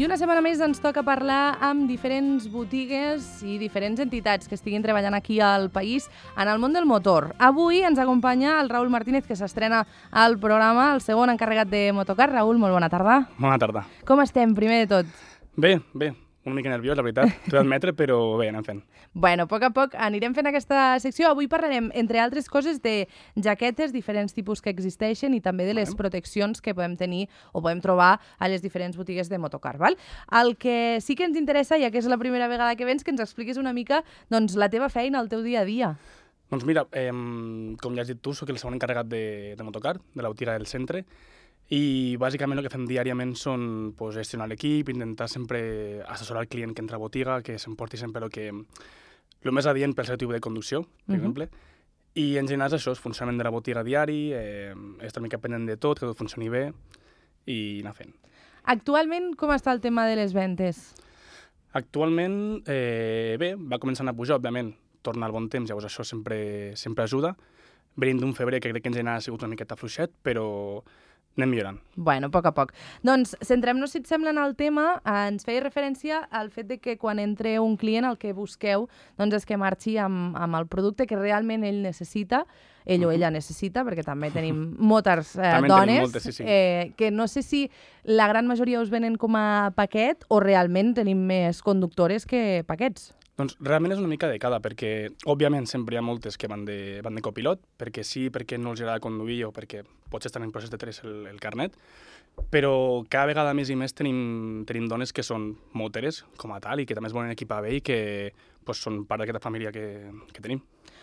I una setmana més ens toca parlar amb diferents botigues i diferents entitats que estiguin treballant aquí al país en el món del motor. Avui ens acompanya el Raül Martínez, que s'estrena al programa, el segon encarregat de Motocar. Raül, molt bona tarda. Bona tarda. Com estem, primer de tot? Bé, una mica nerviós, la veritat, t'ho he d'admetre, però bé, anem fent. Bueno, a poc anirem fent aquesta secció. Avui parlarem, entre altres coses, de jaquetes, diferents tipus que existeixen i també de les proteccions que podem tenir o podem trobar a les diferents botigues de Motocar. Val? El que sí que ens interessa, ja que és la primera vegada que vens, que ens expliquis una mica doncs, la teva feina, el teu dia a dia. Doncs mira, com ja has dit tu, soc el segon encarregat de Motocar, de la botiga del centre, i bàsicament el que fem diàriament són gestionar l'equip, intentar sempre assessorar el client que entra a botiga, que s'emporti sempre el més adient pel seu tipus de conducció, per exemple. I en general és això, el funcionament de la botiga diari, estar una mica pendent de tot, que tot funcioni bé i anar fent. Actualment, com està el tema de les ventes? Actualment, bé, va començant a pujar, òbviament, torna al bon temps, llavors això sempre ajuda. Venint d'un febrer que crec que en general ha sigut una miqueta fluixet, però anem millorant. Bueno, a poc. Doncs centrem-nos, si et sembla, en el tema. Ens feia referència al fet de que quan entre un client el que busqueu doncs és que marxi amb el producte que realment ell necessita, ell o ella necessita, perquè també tenim moltes dones, moltes, sí. Que no sé si la gran majoria us venen com a paquet o realment tenim més conductores que paquets. Doncs realment és una mica de cada, perquè òbviament sempre hi ha moltes que van de copilot, perquè sí, perquè no els agrada conduir o perquè potser estan en procés de treure el carnet, però cada vegada més i més tenim dones que són moteres com a tal i que també es volen equipar bé i que són part d'aquesta família que tenim.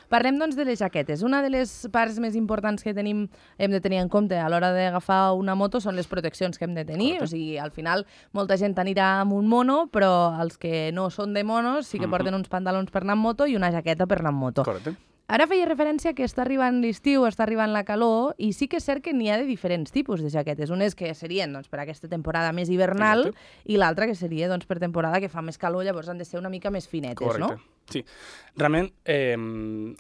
Parlem, doncs, de les jaquetes. Una de les parts més importants que hem de tenir en compte a l'hora d'agafar una moto són les proteccions que hem de tenir. Correcte. O sigui, al final, molta gent anirà amb un mono, però els que no són de monos sí que porten uns pantalons per anar amb moto i una jaqueta per anar amb moto. Correcte. Ara feia referència que està arribant l'estiu, està arribant la calor, i sí que és cert que n'hi ha de diferents tipus de jaquetes. Unes que serien per aquesta temporada més hivernal. Exacte. I l'altra que seria per temporada que fa més calor, llavors han de ser una mica més finetes. Correcte. No? Sí. Realment,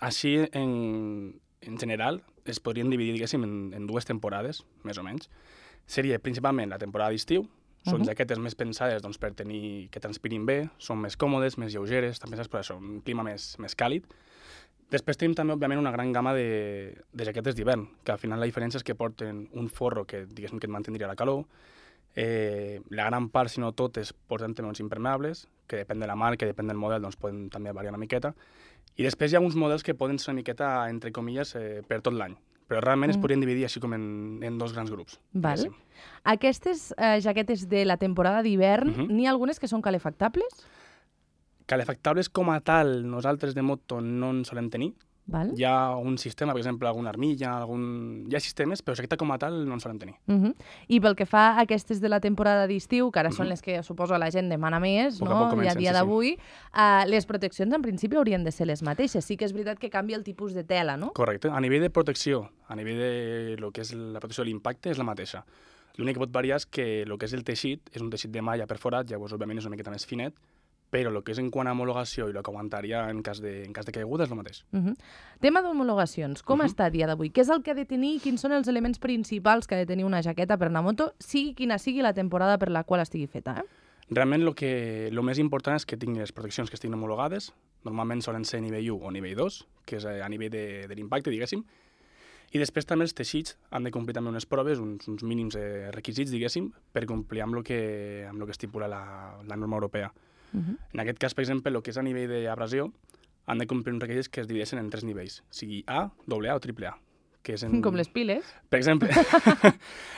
així en general es podrien dividir, diguéssim, en dues temporades, més o menys. Seria principalment la temporada d'estiu, són jaquetes més pensades per tenir que transpirin bé, són més còmodes, més lleugeres, estan pensades per això, un clima més càlid. Després tenim també, òbviament, una gran gamma de jaquetes d'hivern, que al final la diferència és que porten un forro que, diguéssim, que et mantindria la calor. La gran part, si no totes, porten també uns impermeables, que depèn de la marca, depèn del model, doncs poden també variar una miqueta. I després hi ha uns models que poden ser una miqueta, entre comilles, per tot l'any. Però realment es podrien dividir així com en dos grans grups. Val. Aquestes jaquetes de la temporada d'hivern, n'hi ha algunes que són calefactables? Calefactables com a tal, nosaltres de moto no en solem tenir. Val. Hi ha un sistema, per exemple, alguna armilla, hi ha sistemes, però jaqueta com a tal no en solem tenir. I pel que fa a aquestes de la temporada d'estiu, que ara són les que suposo la gent demana més, no? I a dia d'avui, les proteccions en principi haurien de ser les mateixes. Sí que és veritat que canvia el tipus de tela, no? Correcte. A nivell de protecció, a nivell de lo que és la protecció de l'impacte, és la mateixa. L'únic que pot variar és que el que és el teixit és un teixit de malla perforat, llavors òbviament és una miqueta més finet, però el que és en quant a homologació i el que aguantaria en cas de caiguda és el mateix. Tema d'homologacions, com està a dia d'avui? Què és el que ha de tenir i quins són els elements principals que ha de tenir una jaqueta per anar a moto, sigui quina sigui la temporada per la qual estigui feta? Realment el més important és que tingui les proteccions que estiguin homologades, normalment solen ser nivell 1 o nivell 2, que és a nivell de l'impacte, diguéssim, i després també els teixits han de complir també unes proves, uns mínims requisits, diguéssim, per complir amb el que estipula la norma europea. En aquest cas, per exemple, el que és a nivell d'abrasió, han de complir uns requisits que es divideixen en 3 nivells, sigui A, AA o AAA. Com les piles. Per exemple.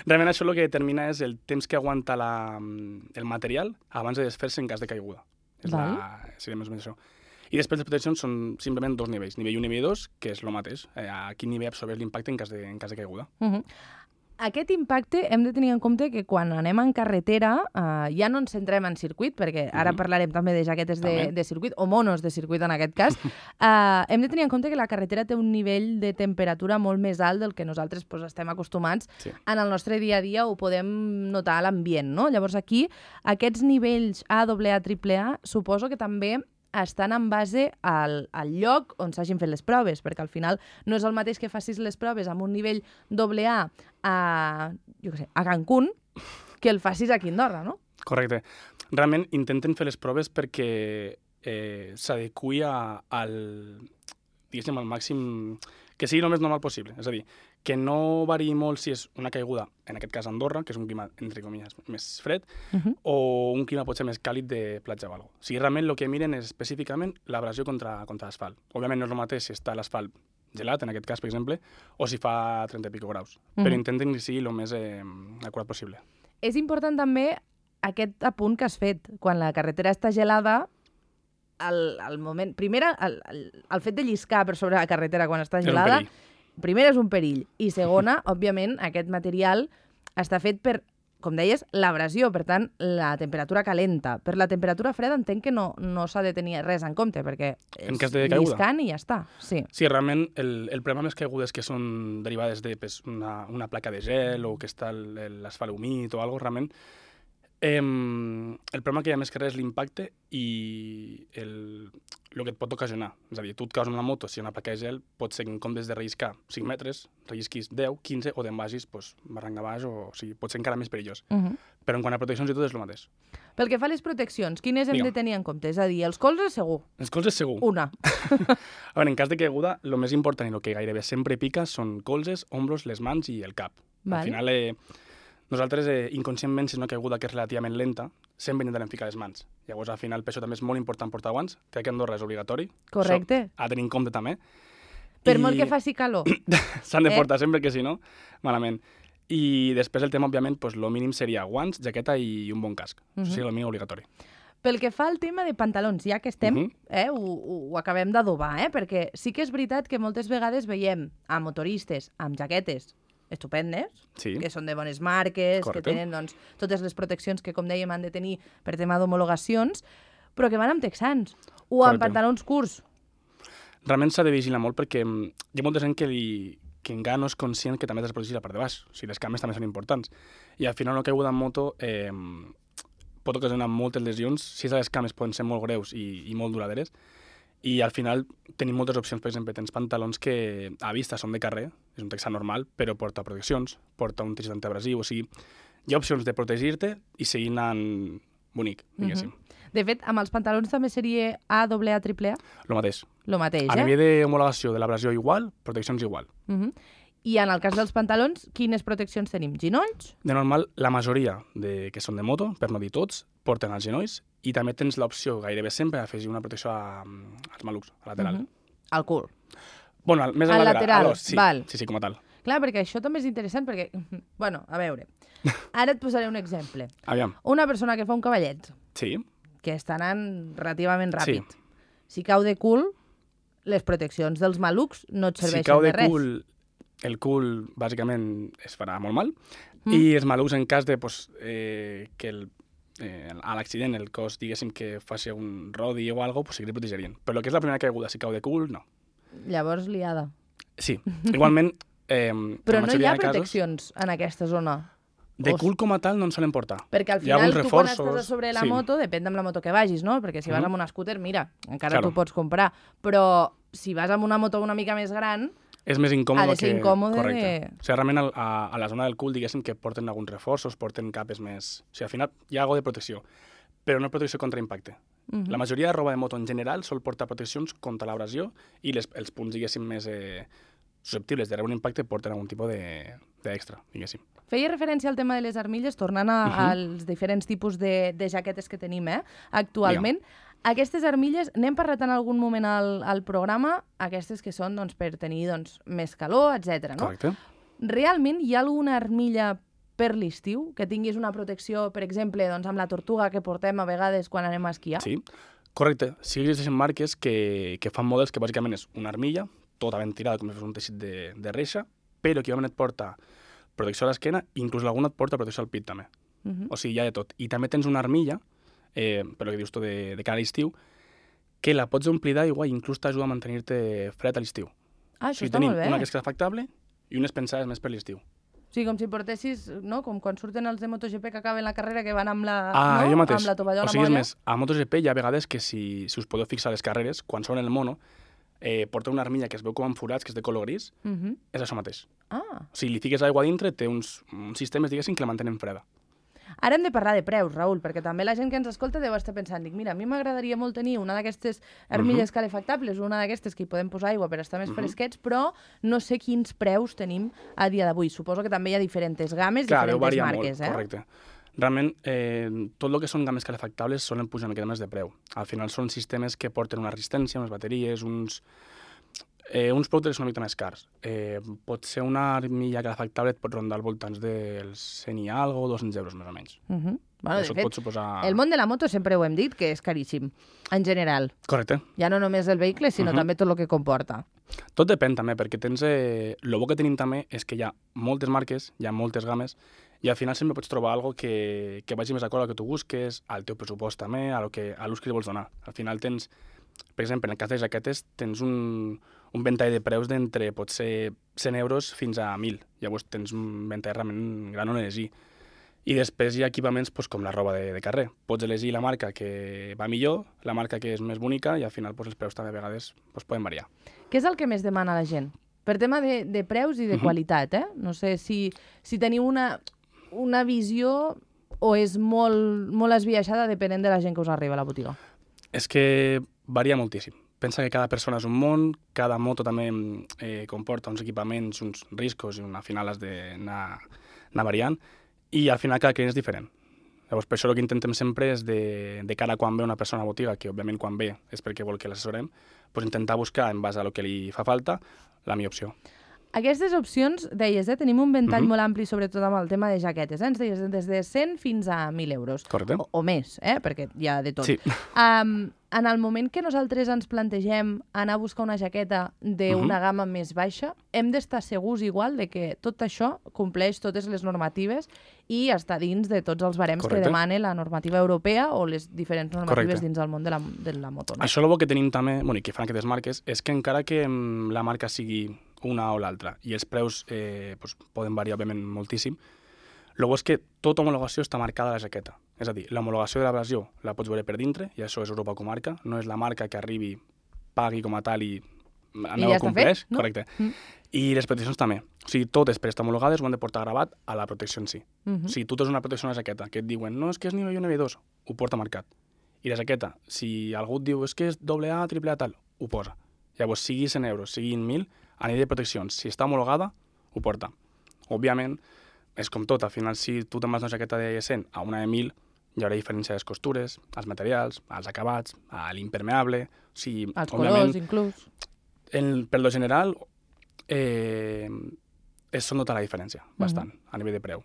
Realment això el que determina és el temps que aguanta el material abans de desfer-se en cas de caiguda. Seria més o menys això. I després les proteccions són simplement 2 nivells, nivell 1 i nivell 2, que és el mateix, a quin nivell absorbeix l'impacte en cas de caiguda. Aquest impacte hem de tenir en compte que quan anem en carretera ja no ens centrem en circuit, perquè ara parlarem també de jaquetes de circuit, o monos de circuit en aquest cas. Hem de tenir en compte que la carretera té un nivell de temperatura molt més alt del que nosaltres estem acostumats. En el nostre dia a dia ho podem notar a l'ambient, no? Llavors aquí, aquests nivells A, AA, AAA, suposo que també estan en base al lloc on s'hagin fet les proves, perquè al final no és el mateix que facis les proves amb un nivell AA a Cancún que el facis aquí a Andorra, no? Correcte. Realment intenten fer les proves perquè s'adequi al màxim, que sigui el més normal possible. És a dir, que no variï molt si és una caiguda, en aquest cas Andorra, que és un clima, entre comilles, més fred, o un clima potser més càlid de platja o alguna cosa. O sigui, realment el que miren és específicament l'abrasió contra l'asfalt. Òbviament no és el mateix si està l'asfalt gelat, en aquest cas, per exemple, o si fa 30 i pico graus. Però intenten que sigui el més acurat possible. És important també aquest apunt que has fet. Quan la carretera està gelada, el moment... Primer, el fet de lliscar per sobre la carretera quan està gelada, primer és un perill. I segona, òbviament, aquest material està fet per, com deies, l'abrasió, per tant, la temperatura calenta. Per la temperatura freda entenc que no s'ha de tenir res en compte, perquè és lliscant i ja està. Sí, realment, el problema amb les caigudes que són derivades de una placa de gel o que està l'asfalt humit o alguna cosa, realment, el problema que hi ha més que res és l'impacte i el que et pot ocasionar. És a dir, tu et caus amb una moto, si hi ha una placa de gel, pot ser que en comptes de relliscar 5 metres, rellisquis 10, 15 o te'n vagis barranc a baix, o sigui, pot ser encara més perillós. Però en quant a proteccions i tot és el mateix. Pel que fa a les proteccions, quines hem de tenir en compte? És a dir, els colzes segur? Els colzes segur. Una. A veure, en cas de caiguda, el més important i el que gairebé sempre pica són colzes, ombros, les mans i el cap. Al final, nosaltres, inconscientment, si és una caiguda que és relativament lenta, sempre intentarem ficar les mans. Llavors, al final, per això també és molt important portar guants. Crec que a Andorra és obligatori. Correcte. Això, a tenir en compte també. Per molt que faci calor. S'han de portar sempre, que si no, malament. I després el tema, òbviament, el mínim seria guants, jaqueta i un bon casc. Això seria el mínim obligatori. Pel que fa al tema de pantalons, ja que estem, ho acabem d'adobar, perquè sí que és veritat que moltes vegades veiem a motoristes amb jaquetes estupendes, que són de bones marques, que tenen totes les proteccions que, com dèiem, han de tenir per tema d'homologacions, però que van amb texans o amb pantalons curts. Realment s'ha de vigilar molt perquè hi ha molta gent que encara no és conscient que també has de protegir la part de baix. O sigui, les cames també són importants. I al final una caiguda en moto pot ocasionar moltes lesions. Si les cames poden ser molt greus i molt duraderes. I al final tenim moltes opcions. Per exemple, tens pantalons que a vista són de carrer, és un texà normal, però porta proteccions, porta un teixit antiabrasiu, o sigui, hi ha opcions de protegir-te i seguir anant bonic, diguéssim. De fet, amb els pantalons també seria A, AA, AAA? Lo mateix. Lo mateix, A nivell d'homologació de l'abrasió igual, proteccions igual. I en el cas dels pantalons, quines proteccions tenim? Ginolls? De normal, la majoria que són de moto, per no dir tots, porten els genolls i també tens l'opció gairebé sempre d'afegir una protecció als malucs, a lateral. Al cul. Bueno, més al lateral. Sí, com a tal. Clar, perquè això també és interessant, perquè, bueno, a veure, ara et posaré un exemple. Aviam. Una persona que fa un cavallet, que està anant relativament ràpid. Si cau de cul, les proteccions dels malucs no et serveixen de res. Si cau de cul, el cul, bàsicament, es farà molt mal, i els malucs, en cas de que a l'accident el cos, diguéssim, que faci un rodi o alguna cosa, sí que li protegerien. Però el que és la primera caiguda, si cau de cul, no. Llavors, liada. Sí. Igualment, però no hi ha proteccions en aquesta zona? De cul com a tal no en solen portar. Perquè al final tu quan estàs a sobre la moto, depèn amb la moto que vagis, no? Perquè si vas amb una scooter, mira, encara t'ho pots comprar. Però si vas amb una moto una mica més gran, és més incòmode. Ha de ser incòmode. Correcte. O sigui, realment a la zona del cul, diguéssim, que porten alguns reforços, porten capes més... O sigui, al final hi ha alguna de protecció, però no protecció contra impacte. La majoria de roba de moto en general sol portar proteccions contra l'abrasió i els punts, diguéssim, més susceptibles de rebre un impacte porten algun tipus d'extra, diguéssim. Feia referència al tema de les armilles, tornant als diferents tipus de jaquetes que tenim actualment. Aquestes armilles, n'hem parlat en algun moment al programa, aquestes que són per tenir més calor, etc. Correcte. Realment hi ha alguna armilla per l'estiu que tinguis una protecció, per exemple, amb la tortuga que portem a vegades quan anem a esquiar? Sí, correcte. Sí que existeixen marques que fan models que bàsicament és una armilla, tota ben tirada com si fos un teixit de reixa, però que et porta protecció a l'esquena, inclús alguna et porta protecció al pit també. O sigui, hi ha de tot. I també tens una armilla, per el que dius tu de cara a l'estiu, que la pots omplir d'aigua i inclús t'ajuda a mantenir-te fred a l'estiu. Això està molt bé. Tenim una que és refactable i unes pensades més per l'estiu. O sigui, com si portessis, no? Com quan surten els de MotoGP que acaben la carrera, que van amb la, jo mateix. Amb la tovallola molla. O sigui, és més, a MotoGP hi ha vegades que si us podeu fixar a les carreres, quan són el mono, porta una armilla que es veu com amb forats, que és de color gris, és això mateix. O sigui, li fiques aigua dintre, té uns sistemes, diguéssim, que la mantenen freda. Ara hem de parlar de preus, Raül, perquè també la gent que ens escolta deu estar pensant, dic, mira, a mi m'agradaria molt tenir una d'aquestes armilles calefactables, una d'aquestes que hi podem posar aigua per estar més fresquets, però no sé quins preus tenim a dia d'avui. Suposo que també hi ha diferents games, diferents marques. Molt, correcte. Realment, tot el que són games calefactables solen pujar una mica més de preu. Al final són sistemes que porten una resistència, unes bateries, uns productes una mica més cars. Pot ser una armilla calefactable, et pot rondar al voltant dels 100 i algo, 200 euros més o menys. Bueno, de fet, pot suposar... el món de la moto sempre ho hem dit, que és caríssim, en general. Correcte. Ja no només el vehicle, sinó també tot el que comporta. Tot depèn també, perquè tens... El bo que tenim també és que hi ha moltes marques, hi ha moltes games, i al final sempre pots trobar algo que vagi més acord al que tu busques, al teu pressupost també, a l'ús que li vols donar. Al final tens... Per exemple, en el cas de jaquetes, tens un ventall de preus d'entre potser 100 euros fins a 1.000. Llavors tens un ventall realment gran on elegir. I després hi ha equipaments com la roba de carrer. Pots elegir la marca que va millor, la marca que és més bonica, i al final els preus també a vegades poden variar. Què és el que més demana la gent? Per tema de preus i de qualitat, No sé si teniu una visió o és molt esbiaixada depenent de la gent que us arriba a la botiga. És que varia moltíssim. Pensa que cada persona és un món, cada moto també comporta uns equipaments, uns riscos, i al final has d'anar variant, i al final cada client és diferent. Llavors, per això el que intentem sempre és de cara a quan ve una persona a la botiga, que òbviament quan ve és perquè vol que l'assessorem, doncs intentar buscar, en base al que li fa falta, la millor opció. Aquestes opcions, deies, tenim un ventall molt ampli, sobretot amb el tema de jaquetes. Ens deies des de 100 fins a 1.000 euros. Correcte. O més, perquè hi ha de tot. Sí. En el moment que nosaltres ens plantegem anar a buscar una jaqueta d'una gamma més baixa, hem d'estar segurs igual de que tot això compleix totes les normatives i està dins de tots els barems que demana la normativa europea o les diferents normatives dins del món de la moto. No? Això és el que tenim també, i que fan aquestes marques, és que encara que la marca sigui una o l'altra i els preus poden variar, òbviament, moltíssim, el bo és que tota homologació està marcada a la jaqueta. És a dir, l'homologació de l'abrasió la pots veure per dintre, i això és Europa Comarca, no és la marca que arribi, pagui com a tal i aneu a compleix. No? Correcte. I les proteccions també. O sigui, totes per estar homologades ho han de portar gravat a la protecció en si. O sigui, tu tens una protecció a la jaqueta que et diuen no, és que és nivell 1, nivell 2, ho porta marcat. I la jaqueta, si algú et diu és que és AA, AAA, tal, ho posa. Llavors, sigui 100 euros, sigui 1.000, a nivell de proteccions, si està homologada, ho porta. Òbviament, és com tot, al final, si tu te'n vas una jaqueta de 100 a una de 1.000, hi haurà diferència de les costures, els materials, els acabats, l'impermeable... O sigui, els colors, inclús. Per lo general, es nota la diferència, bastant, a nivell de preu.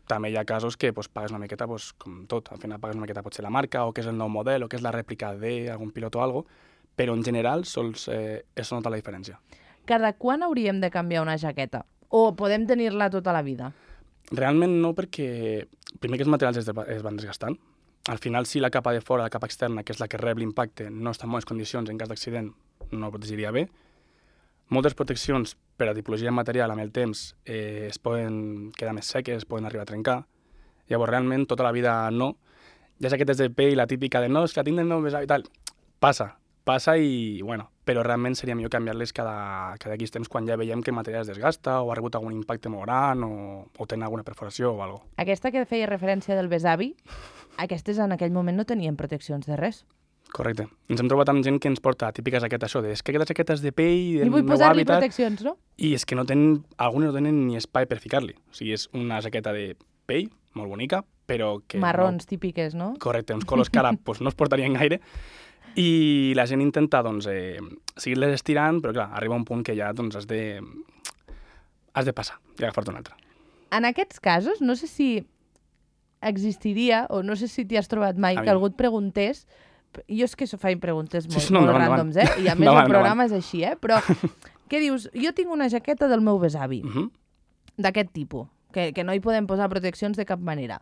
També hi ha casos que pagues una miqueta, com tot, al final pagues una miqueta potser la marca, o que és el nou model, o que és la rèplica d'algun pilot o alguna cosa, però en general sols es nota la diferència. Cada quan hauríem de canviar una jaqueta? O podem tenir-la tota la vida? Realment no, perquè primer que els materials es van desgastant. Al final, si la capa de fora, la capa externa, que és la que rep l'impacte, no està en bones condicions, en cas d'accident no protegiria bé. Moltes proteccions per a tipologia de material amb el temps es poden quedar més seques, es poden arribar a trencar. Llavors, realment, tota la vida no. Hi ha jaquetes de pell, la típica de no, és que la tinc del meu besavi i tal. Passa i, però realment seria millor canviar-les cada X temps quan ja veiem que el material es desgasta o ha rebut algun impacte molt gran o tenen alguna perforació o alguna cosa. Aquesta que feia referència del besavi, aquestes en aquell moment no tenien proteccions de res. Correcte. Ens hem trobat amb gent que ens porta típiques jaquetes, això és que aquestes jaquetes de pell del meu hàbitat... I vull posar-li proteccions, no? I és que algunes no tenen ni espai per ficar-li. O sigui, és una jaqueta de pell, molt bonica, però que... Marrons típiques, no? Correcte, uns colors que ara no es portarien gaire. I la gent intenta, seguir-les estirant, però clar, arriba un punt que ja, has de passar i agafar-te un altre. En aquests casos, no sé si existiria, o no sé si t'hi has trobat mai, que algú et preguntés, jo és que faig preguntes molt ràndoms, i a més el programa és així, però què dius? Jo tinc una jaqueta del meu besavi, d'aquest tipus, que no hi podem posar proteccions de cap manera.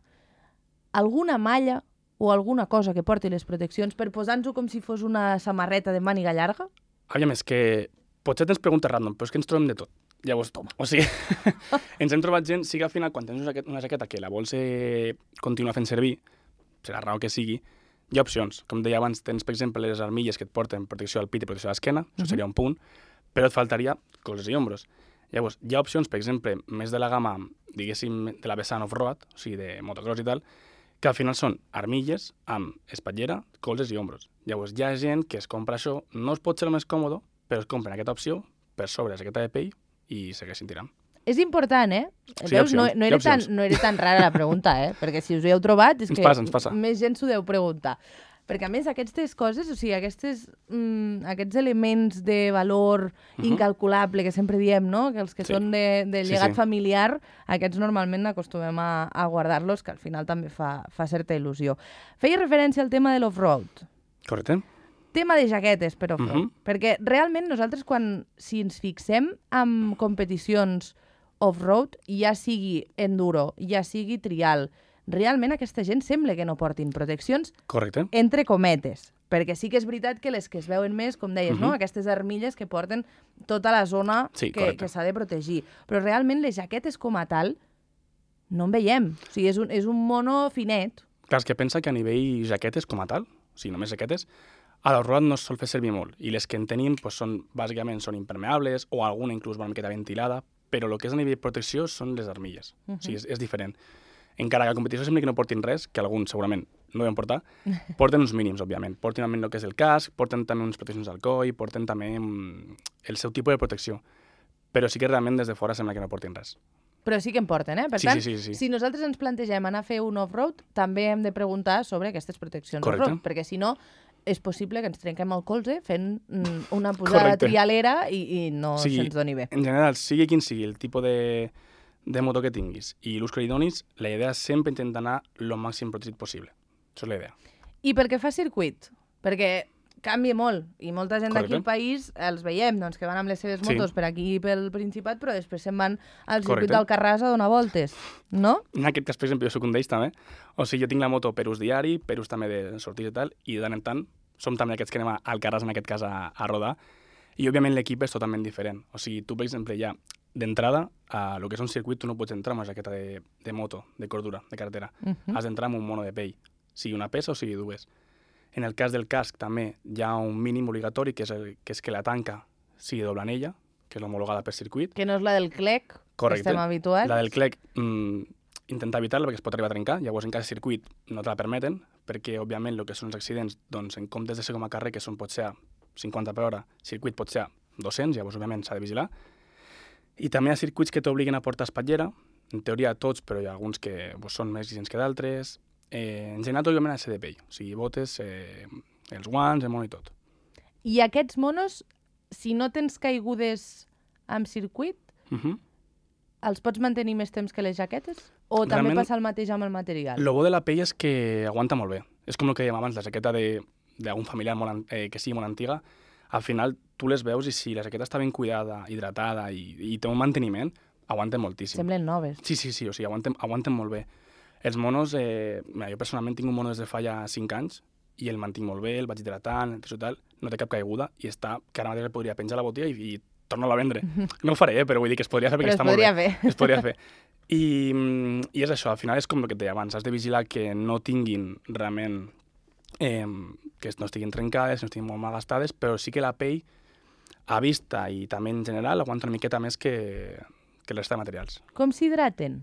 Alguna malla o alguna cosa que porti les proteccions per posar-nos-ho com si fos una samarreta de màniga llarga? Aviam, és que potser tens preguntes random, però és que ens trobem de tot. Llavors, o sigui, ens hem trobat gent, sí que al final, quan tens una jaqueta que la vols continuar fent servir, per la raó que sigui, hi ha opcions. Com deia abans, tens, per exemple, les armilles que et porten protecció al pit i protecció a l'esquena, això seria un punt, però et faltaria colzes i ombros. Llavors, hi ha opcions, per exemple, més de la gamma, diguéssim, de la vessant off-road, o sigui, de motocross i tal, que al final són armilles amb espatllera, colzes i ombros. Llavors hi ha gent que es compra això, no es pot ser el més còmode, però es compren aquesta opció, per sobre la jaqueta de pell i segueixin tirant. És important, eh? Sí, Veus, opcions, no era tan rara la pregunta, eh? Perquè si us ho heu trobat és Ens que passa. més gent s'ho deu preguntar. Perquè, a més, aquestes coses, o sigui, aquests elements de valor incalculable que sempre diem, no? Que els que són de llegat familiar, aquests normalment acostumem a guardar-los, que al final també fa certa il·lusió. Feia referència al tema de l'off-road. Correcte. Tema de jaquetes per off-road. Perquè realment nosaltres, si ens fixem en competicions off-road, ja sigui enduro, ja sigui trial, realment aquesta gent sembla que no portin proteccions, correcte, entre cometes. Perquè sí que és veritat que les que es veuen més, com deies, no? Aquestes armilles que porten tota la zona que s'ha de protegir. Però realment les jaquetes com a tal no en veiem. O sigui, és un mono finet. Clar, és que pensa que a nivell jaquetes com a tal, o sigui, només jaquetes, a l'off-road no es sol fer servir molt. I les que en tenim, bàsicament, són impermeables o alguna inclús una miqueta ventilada, però el que és a nivell de protecció són les armilles. O sigui, és diferent. Encara que a la competició sembla que no portin res, que alguns segurament no deuen portar, porten uns mínims, òbviament. Porten també el que és el casc, porten també unes proteccions al coll, porten també el seu tipus de protecció. Però sí que realment des de fora sembla que no portin res. Però sí que en porten, eh? Per tant, sí. si nosaltres ens plantegem anar a fer un off-road, també hem de preguntar sobre aquestes proteccions off-road, perquè si no és possible que ens trenquem el colze fent una posada trialera i no se'ns doni bé. En general, sigui quin sigui el tipus de moto que tinguis i l'ús que li donis, la idea és sempre intentar anar el màxim protegit possible. Això és la idea. I pel que fa a circuit? Perquè canvia molt, i molta gent d'aquí al país els veiem, doncs, que van amb les seves motos per aquí pel Principat, però després se'n van al circuit d'Alcarràs a donar voltes, no? En aquest cas, per exemple, jo soc un d'ells també. O sigui, jo tinc la moto per ús diari, per ús també de sortir i tal, i de tant en tant som també aquests que anem a Alcarràs, en aquest cas, a rodar, i òbviament l'equip és totalment diferent. O sigui, tu, per exemple, ja d'entrada, a el que és un circuit, tu no pots entrar amb una jaqueta de moto, de cordura, de carretera. Has d'entrar amb un mono de pell, sigui una peça o sigui dues. En el cas del casc també hi ha un mínim obligatori, que és que la tanca sigui de doble anella, que és l'homologada per circuit. Que no és la del CLEC, que estem habituats. La del CLEC, intentar evitar-la perquè es pot arribar a trencar, llavors en cas de circuit no te la permeten, perquè òbviament el que són els accidents, doncs en comptes de ser com a carrer, que pot ser a 50 per hora, circuit pot ser a 200, llavors òbviament s'ha de vigilar. I també hi ha circuits que t'obliguen a portar espatllera, en teoria tots, però hi ha alguns que són més exigents que d'altres. En general, òbviament, ha de ser de pell, o sigui, botes, els guants, el mono i tot. I aquests monos, si no tens caigudes amb circuit, els pots mantenir més temps que les jaquetes? O també passa el mateix amb el material? El bo de la pell és que aguanta molt bé. És com el que dèiem abans, la jaqueta d'algun familiar que sigui molt antiga, al final tu les veus i si la jaqueta està ben cuidada, hidratada i té un manteniment, aguanten moltíssim. Semblen noves. Sí, o sigui, aguanten molt bé. Els monos, jo personalment tinc un mono des de fa ja 5 anys i el mantinc molt bé, el vaig hidratant, no té cap caiguda i està, que ara mateix el podria penjar a la botiga i tornar-la a vendre. No ho faré, però vull dir que es podria fer perquè està molt bé. Es podria fer. I és això, al final és com el que et deia abans, has de vigilar que no tinguin realment, que no estiguin trencades, no estiguin molt mal gastades, però sí que la pell, a vista i també en general, aguanta una miqueta més que la resta de materials. Com s'hidraten?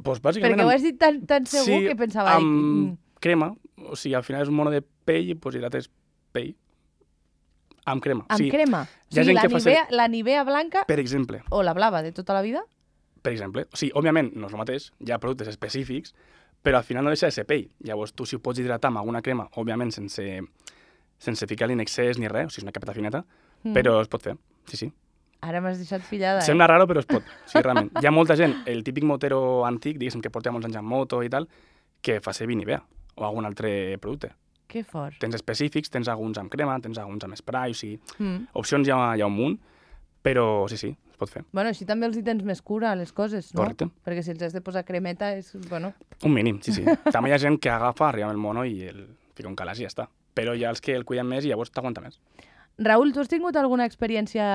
Pues bàsicament... Perquè ho has dit tan segur que pensava... Amb crema, o sigui, al final és un mono de pell i pues hidrates pell amb crema. Amb crema? O sigui, la Nivea blanca... Per exemple. O la blava de tota la vida? Per exemple. O sigui, òbviament, no és el mateix, hi ha productes específics, però al final no deixa de ser pell. Llavors, tu si ho pots hidratar amb alguna crema, òbviament sense ficar-li en excés ni res, o sigui, és una capeta fineta, però es pot fer, sí. Ara m'has deixat pillada, Sembla raro, però es pot. Sí, realment. Hi ha molta gent, el típic motero antic, diguéssim, que porta molts anys en moto i tal, que fa servir Nivea o algun altre producte. Que fort. Tens específics, tens alguns amb crema, tens alguns amb spray, o sigui, opcions hi ha un munt, però sí, es pot fer. Bueno, així també els hi tens més cura a les coses, no? Correcte. Perquè si els has de posar cremeta és, bueno... Un mínim, sí. També hi ha gent que agafa, arriba amb el mono i el fica un calaix i ja està. Però hi ha els que el cuiden més i llavors t'aguanta més. Raül, tu has tingut alguna experiència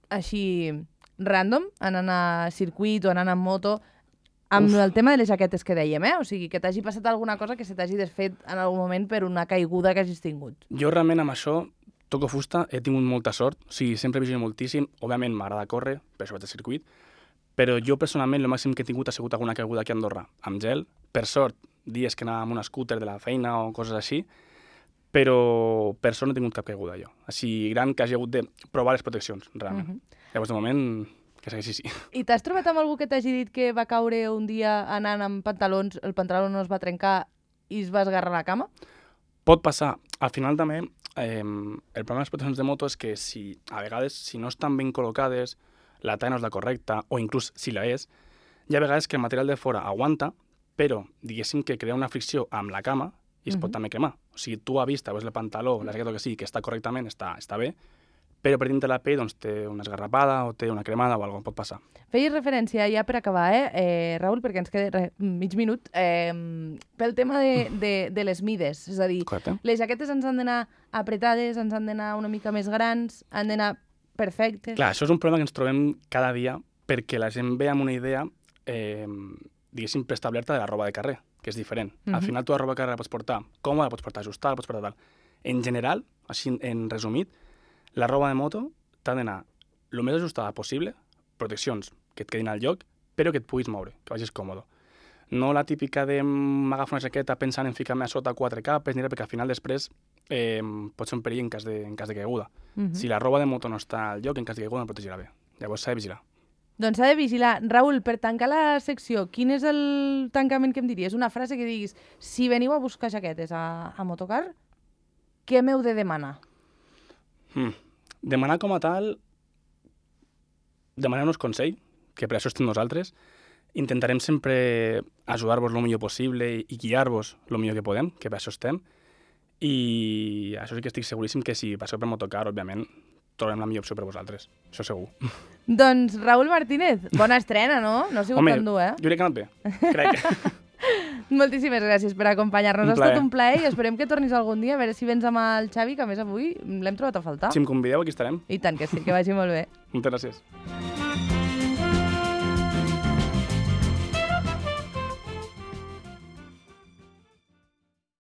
així random, anant a circuit o anant en moto, amb el tema de les jaquetes que dèiem, O sigui, que t'hagi passat alguna cosa que se t'hagi desfet en algun moment per una caiguda que hagis tingut. Jo realment amb això toco fusta, he tingut molta sort, o sigui, sempre vigilo moltíssim, òbviament m'agrada córrer, per això vaig al circuit, però jo personalment el màxim que he tingut ha sigut alguna caiguda aquí a Andorra, amb gel, per sort, dies que anava amb un scooter de la feina o coses així, però per sort no he tingut cap caiguda jo. Així gran que hagi hagut de provar les proteccions, realment. Llavors, de moment, que segueixi així. I t'has trobat amb algú que t'hagi dit que va caure un dia anant amb pantalons, el pantaló no es va trencar i es va esgarrar la cama? Pot passar. Al final també, el problema de les proteccions de moto és que a vegades, si no estan ben col·locades, la talla no és la correcta, o inclús si la és, hi ha vegades que el material de fora aguanta, però diguéssim que crea una fricció amb la cama i es pot també cremar. O sigui, tu a vista veus el pantaló, la jaqueta que sigui, que està correctament, està bé, però per dintre la pell doncs, té una esgarrapada o té una cremada o alguna cosa, pot passar. Feies referència, ja per acabar, Raül, perquè ens queda mig minut, pel tema de les mides. És a dir, Correcte. les jaquetes ens han d'anar apretades, ens han d'anar una mica més grans, han d'anar perfectes. Clar, això és un problema que ens trobem cada dia perquè la gent ve amb una idea, diguéssim, preestablerta de la roba de carrer, que és diferent. Al final tu la roba de carrer la pots portar còmoda, la pots portar ajustada, la pots portar tal. En general, així en resumit, la roba de moto t'ha d'anar el més ajustada possible, proteccions que et quedin al lloc, però que et puguis moure, que vagis còmode. No la típica de m'agafo una jaqueta pensant en ficar-me a sota 4 capes, perquè al final després pot ser un perill en cas de caiguda. Si la roba de moto no està al lloc, en cas de caiguda no protegirà bé. Llavors s'ha de vigilar. Doncs s'ha de vigilar. Raül, per tancar la secció, quin és el tancament que em diries? Una frase que diguis, si veniu a buscar jaquetes a Motocar, què m'heu de demanar? Demanar com a tal, demanar-nos consell, que per això estem nosaltres. Intentarem sempre ajudar-vos el millor possible i guiar-vos el millor que podem, que per això estem. I això sí que estic seguríssim que si passeu per Motocar, òbviament, trobarem la millor opció per vosaltres. Això segur. Doncs, Raül Martínez, bona estrena, no? No ha sigut tan dur, jo crec que ha anat bé. Crec. Moltíssimes gràcies per acompanyar-nos. Ha estat un plaer i esperem que tornis algun dia, a veure si vens amb el Xavi, que a més avui l'hem trobat a faltar. Si em convideu, aquí estarem. I tant que sí, que vagi molt bé. Moltes gràcies.